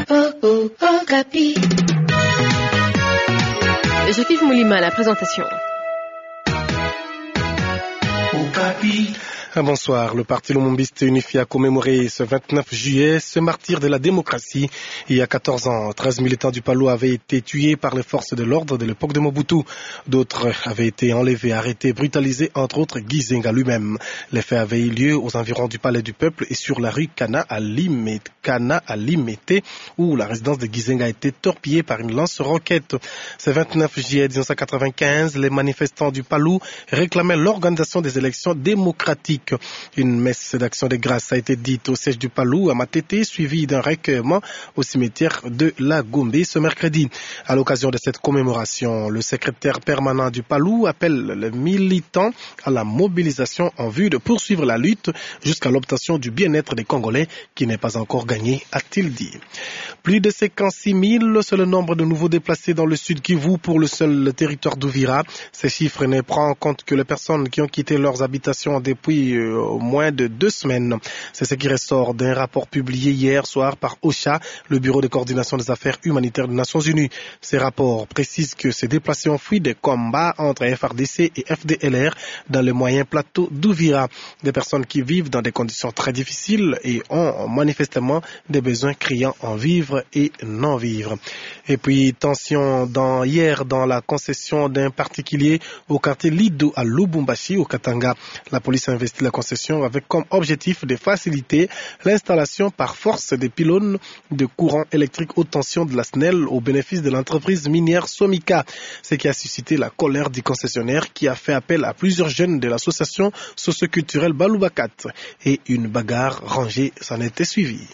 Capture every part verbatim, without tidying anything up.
Oh, oh, Okapi. Jean-Yves Moulima à la présentation. Okapi. Ah, bonsoir. Le parti Lumumbiste Unifié a commémoré ce vingt-neuf juillet ce martyr de la démocratie. Il y a quatorze ans, treize militants du PALU avaient été tués par les forces de l'ordre de l'époque de Mobutu. D'autres avaient été enlevés, arrêtés, brutalisés, entre autres Gizenga lui-même. Les faits avaient eu lieu aux environs du Palais du Peuple et sur la rue Kana à Limete. Kana à Limete, où la résidence de Gizenga a été torpillée par une lance-roquette. Ce vingt-neuf juillet mille neuf cent quatre-vingt-quinze, les manifestants du PALU réclamaient l'organisation des élections démocratiques. Une messe d'action de grâce a été dite au siège du PALU à Matete, suivie d'un recueillement au cimetière de la Gombe ce mercredi. À l'occasion de cette commémoration, le secrétaire permanent du PALU appelle les militants à la mobilisation en vue de poursuivre la lutte jusqu'à l'obtention du bien-être des Congolais qui n'est pas encore gagné, a-t-il dit. Plus de cinquante-six mille, c'est le nombre de nouveaux déplacés dans le Sud-Kivu pour le seul territoire d'Uvira. Ces chiffres ne prennent en compte que les personnes qui ont quitté leurs habitations depuis, euh, moins de deux semaines. C'est ce qui ressort d'un rapport publié hier soir par OCHA, le Bureau de coordination des affaires humanitaires des Nations Unies. Ces rapports précisent que ces déplacés ont fui des combats entre F R D C et F D L R dans les moyens plateaux d'Uvira. Des personnes qui vivent dans des conditions très difficiles et ont manifestement des besoins criants en vivre et non-vivre. Et puis, tension dans, hier dans la concession d'un particulier au quartier Lido à Lubumbashi, au Katanga. La police a investi la concession avec comme objectif de faciliter l'installation par force des pylônes de courant électrique haute tension de la SNEL au bénéfice de l'entreprise minière Somika, ce qui a suscité la colère du concessionnaire qui a fait appel à plusieurs jeunes de l'association socioculturelle Balubakat et une bagarre rangée s'en était suivie.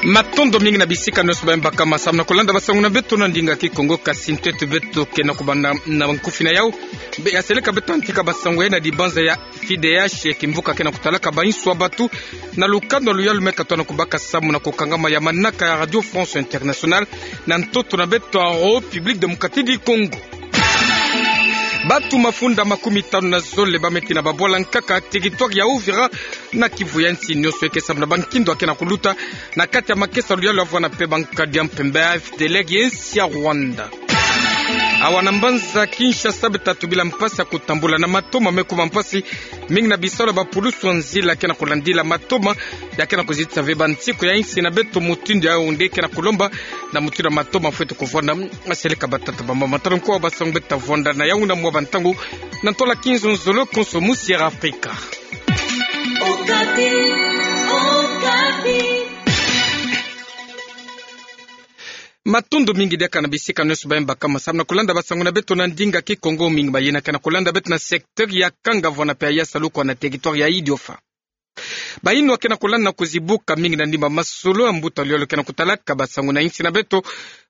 Matondo mingi na bisika nyonso baye mbakama samu na kulanda basango na beto na ndinga Kikongo, kasi ntueto beto ke na kubanda na nkufi na yau. Mbe ya seleka beto antika basango ya na dibanza ya F I D H, kimvuka ke na kutalaka bainso ya bato, na lukanda luyalu me katwa na kubaka samu na kukangama ya manaka ya Radio France Internationale, na ntoto na beto ya République Démocratique du Congo. Bato mafunda makumi tanu na zole ba me tina babwala nkaka territoire ya Uvira na Kivu ya nsi nyonso eke samu na bankindo ya ke na kuluta na kati ya makesa luyalu ya vwanda mpe bankadi ya mpemba ya F D L R ya nsi ya Rwanda. Awa na mbanza Kinshasa beto tubila mpasi ya kutambula na matoma me kuma mpasi mingi na bisalu ya bapulusu ya nzila ke na kulandila matoma ya ke na kuzitisa ve bansiku ya nsi na beto, mutindu yau nde ke na kulomba na mutindu ya matoma fwete kuvwanda. Seleka batata, bamama, tala nko basango beto ta vwanda na yau na mwa bantangu na ntola kinzonzolo konso mu Sierra Africa. Okapi, Okapi. Matondo mingi diaka na bisika nyonso baye mbakama samu na kulanda basango na beto na ndinga Kikongo, mingi baye na ke na kulanda beto na secteur ya Kanga-Vuana mpe ya Saluku na territoire ya Idiofa. Bayinwa ke na kulanda na kuzibuka mingi na ndimba masolo ya mbuta luyalu ke na kutalaka basango na nsi na beto.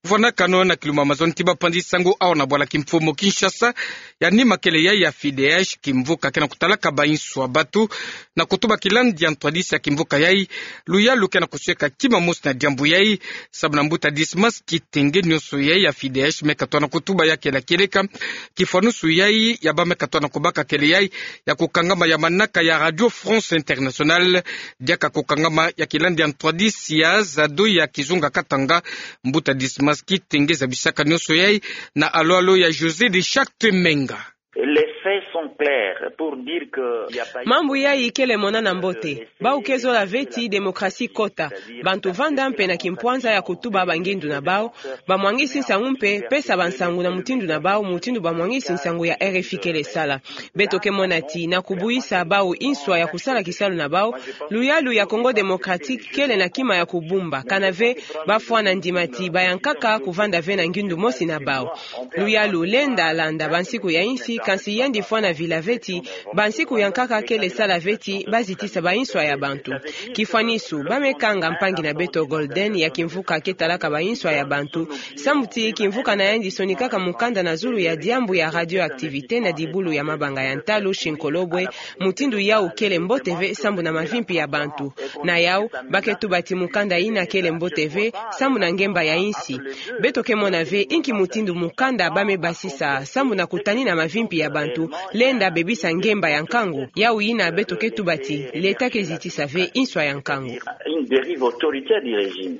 Vwanakano na kiluma mazono ti bapanzi sango awa na bwala kimfumu Kinshasa, ya nima kele yayi ya F I D H, kimvuka ke na kutalaka bainso ya bato, na kutuba kilandi ya ntwadisi ya kimvuka yayi. Luyalu ke na kusweka kima mosi na diambu yayi, samu na mbuta Dismas Kitenge, nyonso yayi ya F I D H me katwa na kutuba ya kele kieleka. Kifwanusu yayi ya ba me katwa na kubaka kele yayi ya kukangama ya manaka ya Radio France Internationale, diaka kukangama ya kilandi ya ntwadisi ya Zado ya Kizunga Katanga. Mbuta Dismas Kitenge zabisaka nyonso yayi na alo-alo ya José de Charte Menga. Les faits sont clairs pour dire que il y a pas eu... Mambu yayi kele monana mbote. Bawu ke zola ve ti démocratie kota. Bantu vanda mpe na kimpwanza ya kutuba bangindu na bawu, bamwangisi nsangu mpe pesa bansangu na mutindu na bawu, mutindu bamwangisi nsangu ya R F I kele sala. Beto ke mona ti na kubwisa bawu inswa ya kusala kisalu na bawu, luyalu ya Congo Démocratique kele na kima ya kubumba, kana ve bafwana ndima ti bayankaka kuvanda ve na ngindu mosi na bawu. Luyalu lenda landa bansiku ya insi, kansi yandi fwana vila ve ti bansiku ya nkaka kele sala ve ti bazitisa bainswa ya bantu. Kifwanisu, ba me kanga mpangi na beto Golden ya kimvuka ke talaka bainswa ya bantu, samu ti kimvuka na yandi sonikaka mukanda na zulu ya diambu ya radioactivité na dibulu ya mabanga ya ntalu, shinkolobwe, mutindu yawu kele mbote ve sambu na mavimpi ya bantu. Na yawu, ba ke tuba ti mukanda yina kele mbote ve sambu na ngemba ya insi. Beto ke mona ve inki mutindu mukanda ba me basisa sambu na kutanina mavimpi ya bantu, lenda bebisa ngemba ya nkangu, yau yina beto ke tuba ti, l'État ke zitisa ve inswa ya nkangu. Une dérive autoritaire du régime.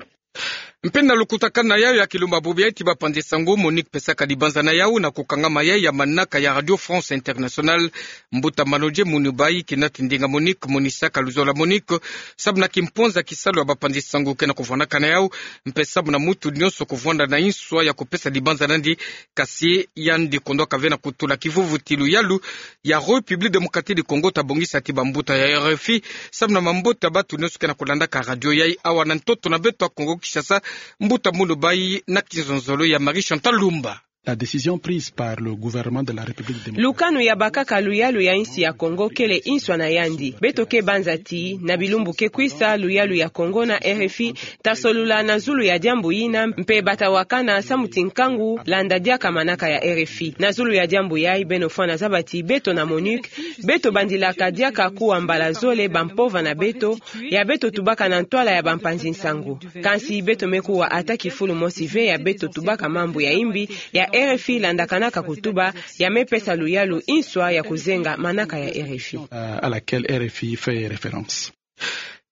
Mpe na lukutakanu na yau ya kilumbu bubu yai ti bapanzi nsangu, MONUC pesaka dibanza na yau na kukangama yai ya manaka ya Radio France Internationale. Mbuta Manodje Munubai, kinati ndinga MONUC, monisaka luzola MONUC, samu na kimpwanza kisalu ya bapanzi nsangu ke na kuvwanaka na yau, mpe samu na mutu nyonso kuvwanda na inswa ya kupesa dibanza nandi, kasi yandi kondwaka ve na kutula kivuvu ti luyalu ya République Démocratique du Congo ta bongisa ti bambuta ya R F I, samu na mambote ya batu nyonso ke na kulandaka radio yai awa na ntoto na beto ya Congo Kinshasa. Mbuta Munubai na kinzonzolo ya Marie Chantal Lumba. La décision prise par le gouvernement de la République démocratique. Lukanu ya bakaka luyalu ya insi ya Congo kele inswa na yandi. Beto ke banza ti, na bilumbu ke kwisa, luyalu ya Congo na R F I ta solula na zulu ya diambu yina, mpe bata wakana samu ti nkangu landa diaka manaka ya R F I. Na zulu ya diambu yai, beno fwana zaba ti beto na MONUC, beto bandilaka diaka kuwa mbala zole bampova na beto, ya beto tubaka na ntwala ya bampanzi nsangu. Kansi beto me kuwa ata kifulu mosi ve ya beto tubaka mambu ya imbi, ya R F I landakanaka kutuba, ya me pesa luyalu inswa ya kuzenga manaka ya R F I. Euh, à laquelle R F I fait référence.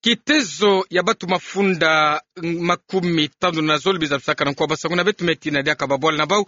Kitezo ya batu mafunda makumi tanu na zole bizabisaka na nkuwa basangu na beto me tina diaka babwala na bau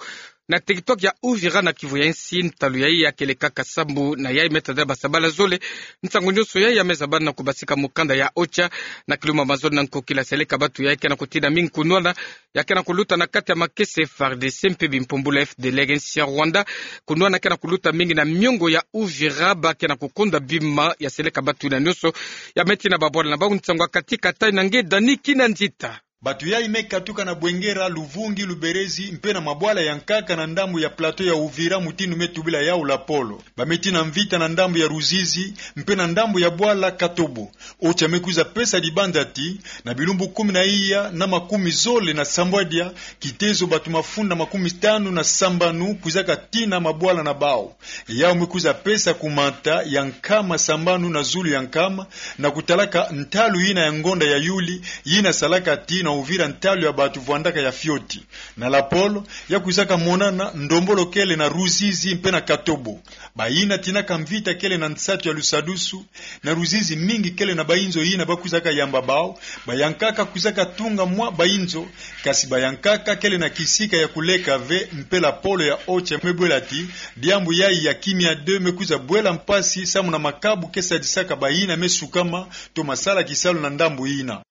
na territoire ya Uvira na Kivu ya insi. Ntalu yai ya kele kaka sambu na yai me tadila basabala zole. Nsangu nyonso yai ya me zabana na kubasika mukanda ya OCHA. Na kilumbu mazole na nkokila, seleka batu yai ke na kutina mingi kunwana ya ke na kuluta na kati ya makesa F A R D C mpe bimpumbulu F D L R ya insi ya Rwanda. Kunwana ke na kuluta mingi na miongo ya Uvira, ba ke na kukonda bima ya seleka batu yina nyonso ya me tina babwala na bau. Nsangu ya kati kata na nge Dani Kinanzita. Batu yai me katuka na Bwengera, Luvungi, Luberezi, mpe na mabwala ya nkaka na ndambu ya plateau ya Uvira, mutindu me tubila yau lapolo. Ba me tina mvita na ndambu ya Ruzizi, mpe na ndambu ya bwala Katobo. OCHA me kwiza pesa dibanza ti, na bilumbu kumi na iya na makumi zole na sambwadia, kitezo batu mafunda makumi tanu na sambanu kwizaka tina mabwala na bau. Yau me kwiza pesa kumata ya nkama sambanu na zulu ya nkama, na kutalaka ntalu yina ya ngonda ya yuli, yina salaka ti na Uvira ntalu ya batu vwandaka ya fioti. Na lapolo, ya kwizaka monana ndombolo kele na Ruzizi mpe na Katobo. Bayina tinaka mvita kele na nsatu ya lusadusu, na Ruzizi mingi kele na bayinzo yina ba kwizaka yamba bau, bayankaka kwizaka tunga mwa bayinzo, kasi bayankaka kele na kisika ya kuleka ve, mpe lapolo ya OCHA me bwela ti, diambu yai ya kimia de me kwiza bwela mpasi samu na makabu ke sadisaka bayina me sukama, to masala kisalu na ndambu yina.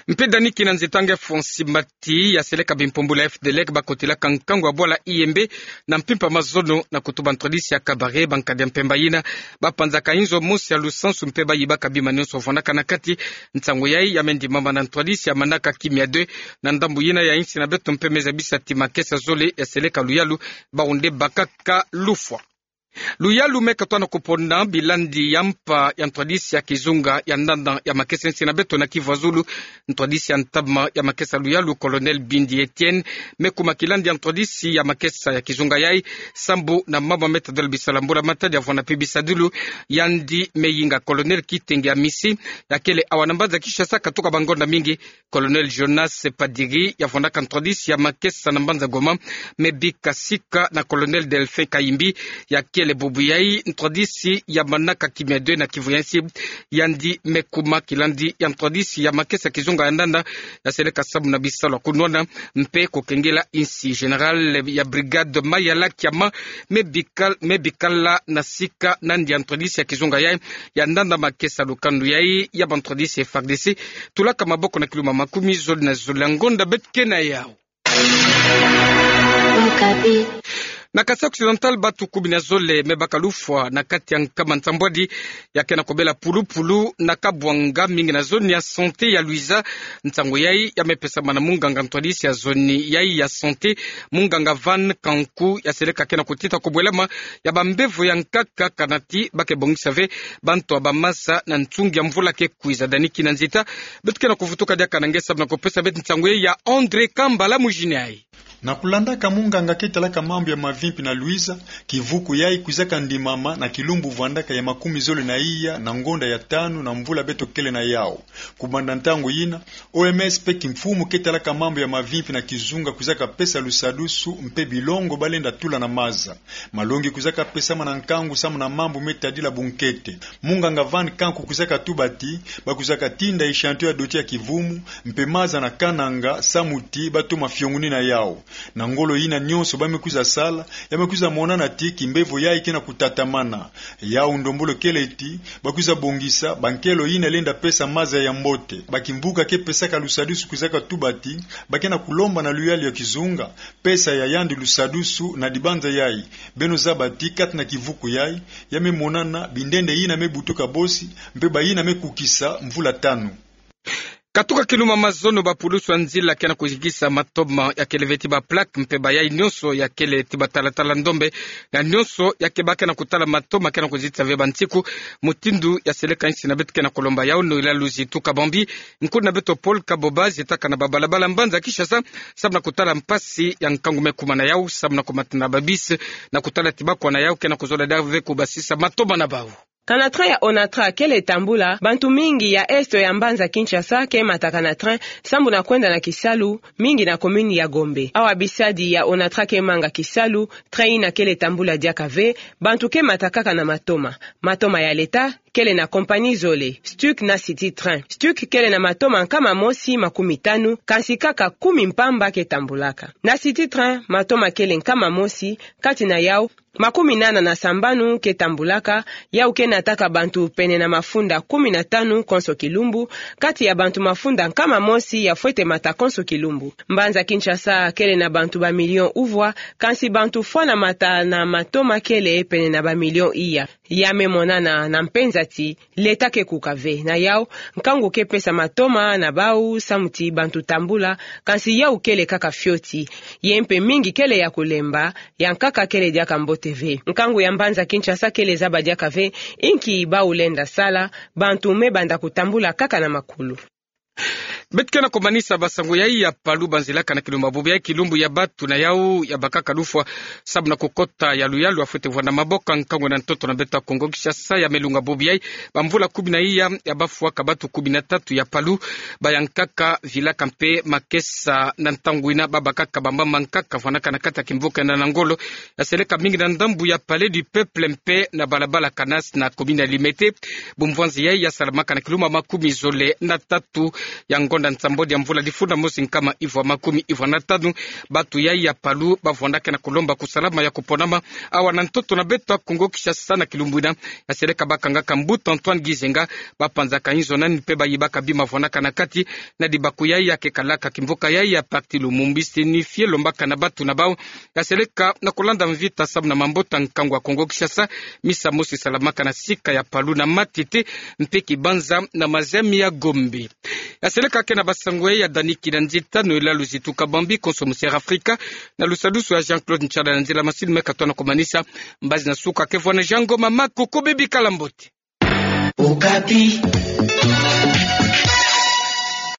Mpe Dani Kinanzita, nge Fonsi Mbati ya seleka bimpumbulu ya F D L R ba kotelaka nkangu ya bwala Iyembe na mpimpa mazono na kutuba ntwadisi ya cabaret, bankadi ya mpemba yina ba panzaka inzo mosi ya lusansu mpe ba yibaka bima nyonso vwandaka na kati. Nsangu yai ya me ndimama na ntwadisi ya manaka Kimia deux na ndambu yina ya insi na beto mpe me zabisa ti makesa zole ya seleka luyalu, bau nde bakaka lufwa. Luyalu me katoa na kuponda bilandi ya mpa ya ntwadisi ya kizunga ya ndanda ya makesa insi na beto na Kivu ya Zulu. Ntwadisi ya ntama ya makesa luyalu, Colonel Bindi Etienne, me kuma kilandi ya ntwadisi ya makesa ya kizunga yai, sambu na mama me tadila bisala mbula matadi ya vwanda pi bisadilu. Yandi me yinga Colonel Kitenge Amisi, ya kele awa na mbanza Kinshasa katuka bangonda mingi. Colonel Jonas Padiri, ya vwandaka ntwadisi ya makesa na mbanza Goma, me bika sika na Colonel Delphin Kayimbi, ya kele bubu yai ntwadisi ya manaka Kimia deux na Kivu ya Nsi. Yandi me kuma kilandi ya ntwadisi ya makesa kizunga ya ndanda, ya seleka sambu na bisalu ya kunwana mpe kukengela insi. Général ya brigade Mayala Kiama me bikal-, me bikala na sika nandi ya ntwadisi ya kizunga yai, ya ndanda makesa. Lukanu yai ya bantwadisi ya F A R D C tulaka maboko na kiluma makumi zole na zole ya ngonda beto ke na yau. Na Kasai Occidental, batu kumi na zole me baka lufwa na kati ya nkama nsambwadi ya ke na kubela pulupulu na kabwanga, mingi na zone ya santé ya Luiza. Nsangu yai ya me pesama na munganga ntwadisi ya zone yai ya santé, munganga Van Kanku, ya seleka ke na kutita kubwelama ya bambevo ya nkaka, kana ti ba ke bongisa ve bantu ya bamasa na ntungi ya mvula ke kwiza. Dani Kinanzita, beto ke na kuvutuka diaka na nge sambu na kupesa beto nsangu yai ya André Kambala mujini yai. Na kulandaka munganga ke talaka mambu ya mavimpi na Luiza, kivuku yayi kwizaka ndimama na kilumbu vwandaka ya makumi zole na iya na ngonda ya tanu na mvula beto kele na yawu. Kubanda ntangu yina, O M S mpe kimfumu ke talaka mambu ya mavimpi na kizunga kwizaka pesa lusadusu mpe bilongo ba lenda tula na maza. Malongi kwizaka pesama na nkangu samu na mambu me tadila bunkete. Munganga Van Kanku kwizaka tuba ti, ba kwizaka tinda echantier ya doti ya kivumu, mpe maza na Kananga, samu ti ba toma fionguni na yawu. Na ngolo yina nyonso ba me kwiza sala, ya me kwiza monana ti kimbevo yayi ke na kutatamana. Yawu ndombolo kele ti, ba kwiza bongisa bankelo yina lenda pesa maza ya mbote. Bakimvuka ke pesaka lusadusu kwizaka tuba ti, ba ke na kulomba na luyalu ya kizunga pesa ya yandi lusadusu na dibanza yayi. Beno zaba ti kati na kivuku yayi, ya me monana bindende yina me butuka bosi, mpe bayina me kukisa mvula tanu. Katuka kilumbu ya mazono, bapulusu ya nzila ke na kuzikisa matoma ya kele ve ti ba plaque mpe bayayi nyonso ya kele ti batalatala ndombe na nyonso ya ke ba ke na kutala matoma ke na kuzitisa ve bansiku, mutindu ya seleka insi na beto ke na kulomba yawu. Noëlla Luzitu Kabambi, nkulu na beto Paul Kaboba, zitaka na babalabala mbanza Kinshasa, samu na kutala mpasi ya nkangu me kuma na yawu, samu na kumata na ba bus, na kutala ti bakwa na yawu ke na kuzola diaka ve kubasisa matoma na bawu. Kana train ya Onatra kele tambula, bantu mingi ya est ya mbanza Kinshasa ke mataka na train, samu na kwenda na kisalu, mingi na commune ya Gombe. Awa bisadi ya Onatra ke manga kisalu, train yina kele tambula diaka ve, bantu ke matakaka na matoma. Matoma ya leta kele na compagnie zole, Stuc na City Train. Stuc kele na matoma nkama mosi makumi tanu, kansi kaka kumi mpamba ke tambulaka. Na City Train, matoma kele nkama mosi, kati na yawu, makumi nana na sambanu ke tambulaka, yawu ke nataka bantu pene na mafunda kumi na tanu konso kilumbu, kati ya bantu mafunda nkama mosi ya fwete mata konso kilumbu. Mbanza Kinshasa kele na bantu ba million uvwa, kansi bantu fwana mata na matoma kele pene na ba million iya. Ya me monana na mpenza ti, leta ke kuka ve. Na yawu, nkangu ke pesa matoma na bawu samu ti bantu tambula, kansi yawu kele kaka fioti. Ye mpe mingi kele ya kulemba, ya nkaka kele diaka mbote ve. Nkangu ya mbanza Kinshasa kele zaba diaka ve inki bawu lenda sala, bantu me banda kutambula kaka na makulu. Beto ke na kumanisa basango yayi ya palu, banzilaka na kilumbu ya bubu yayi, kilumbu ya batu na yawu ya bakaka lufwa samu na kukota ya luyalu ya fwete vwanda maboko nkangu na ntoto na beto ya Kongo Kinshasa. Ya me lunga bubu yayi, bamvula kumi na iya ya bafwaka batu kumi na tatu ya palu, bayankaka, vilaka mpe makesa na ntangu yina, babakaka bambamba nkaka vwandaka na kati ya kimvuka yina na ngolo ya seleka mingi na ndambu ya Palais du Peuple mpe na balabala Canas na commune ya Limete. Bumvwanzi yayi ya salamaka na kilumbu ya makumi zole na tatu ya ngonda nsambwadi ya mvula difunda mosi nkama ivwa makumi ivwa na tanu. Batu yayi ya palu bavwandaka na kulomba kusalama ya kuponama awa na ntoto na beto ya Kongo Kinshasa na kilumbu yina ya seleka bakangaka mbuta Antoine Gizenga, bapanzaka inzo nani mpe bayibaka bima vwandaka na kati na dibaku yayi ya kekalaka kimvuka yayi ya Parti Lumumba signifié, lombaka na batu na bawu ya seleka na kulanda mvita samu na mabota nkangu ya Kongo Kinshasa, misa mosi salamaka na sika ya palu na Matete mpe Kibanza na maziami ya Gombe. Ya seleka ke na basango yayi ya Dani Kinanzita, Noëlla Luzitu Kabambi, konso musi Air Africa, na lusadusu ya Jean-Claude Nshala na nzila masini me katoa na kumanisa. Mbazi na suka ke vwa na Jean Ngoma Makoko, bebikala mbote. Okapi.